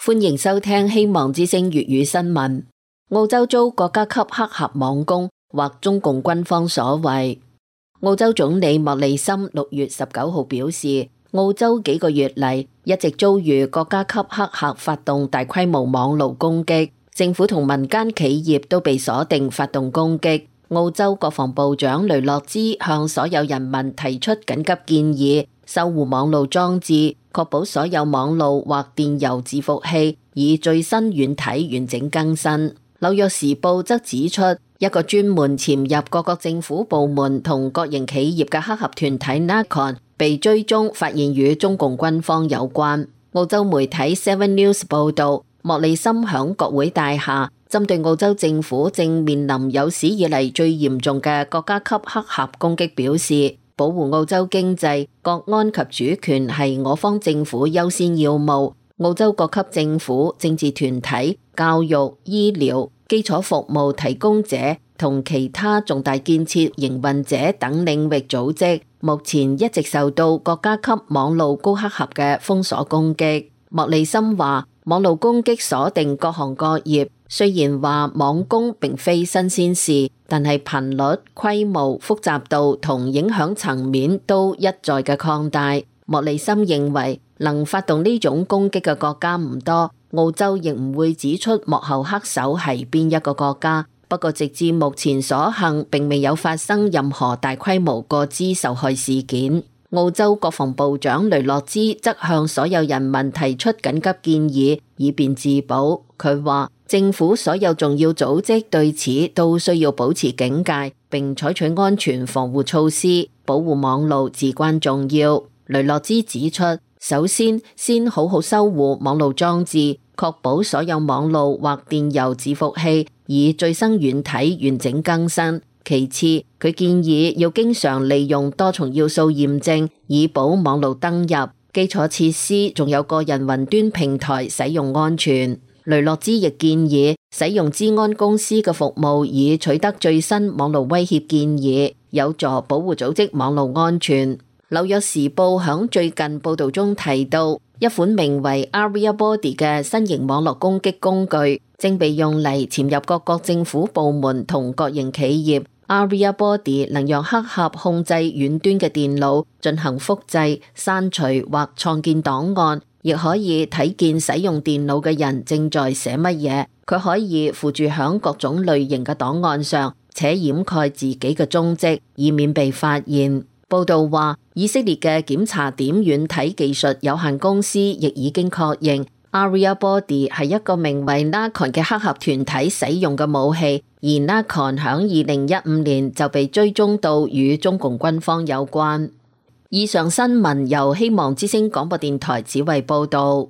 歡迎收聽希望之聲粵語新聞。澳洲遭國家級黑客網攻，或中共軍方所為。澳洲總理莫里森6月19號表示，澳洲幾個月嚟一直遭遇國家級黑客發動大規模網路攻擊，政府同民間企業都被鎖定發動攻擊。澳洲國防部長雷諾茲向所有人民提出緊急建議，修護網路裝置，確保所有網路或電郵伺服器以最新軟體完整更新。紐約時報則指出，一個專門潛入各個政府部門同國營企業嘅黑客團體 Narcon 被追蹤，發現與中共軍方有關。澳洲媒體 Seven News 報道，莫里森響國會大廈針對澳洲政府正面臨有史以嚟最嚴重嘅國家級黑客攻擊表示，保護澳洲經濟、國安及主權係我方政府優先要務。澳洲各級政府、政治團體、教育、醫療、基礎服務提供者同其他重大建設營運者等領域組織，目前一直受到國家級網路高黑客嘅封鎖攻擊。莫里森話，網路攻擊鎖定各行各業，雖然話網攻並非新鮮事，但係頻率、規模、複雜度同影響層面都一再嘅擴大。莫里森認為，能發動呢種攻擊嘅國家唔多，澳洲亦唔會指出幕後黑手係邊一個國家。不過直至目前所幸，並未有發生任何大規模個資受害事件。澳洲國防部長雷諾茲則向所有人民提出緊急建議，以便自保。佢話，政府所有重要組織對此都需要保持警戒，並採取安全防護措施，保護網路至關重要。雷諾茲指出，首先好好修護網路裝置，確保所有網路或電郵伺服器以最新軟體完整更新。其次，佢建議要經常利用多重要素驗證，以保網路登入、基礎設施仲有個人雲端平台使用安全。雷諾茲亦建議使用資安公司嘅服務，以取得最新網路威脅建議，有助保護組織網路安全。紐約時報響最近報道中提到，一款名為 Aria Body 嘅新型網絡攻擊工具正被用嚟潛入各國政府部門同國營企業。Aria Body 能讓黑客控制遠端嘅電腦進行複製、刪除或創建檔案，亦可以睇見使用電腦嘅人正在寫乜嘢。佢可以附住響各種類型嘅檔案上，且掩蓋自己嘅蹤跡，以免被發現。報道話，以色列嘅檢查點軟體技術有限公司亦已經確認 Aria Body 係一個名為 Narcon 嘅黑客團體使用嘅武器，而 Narcon 響2015年就被追蹤到與中共軍方有關。以上新聞由希望之聲廣播電台指為報道。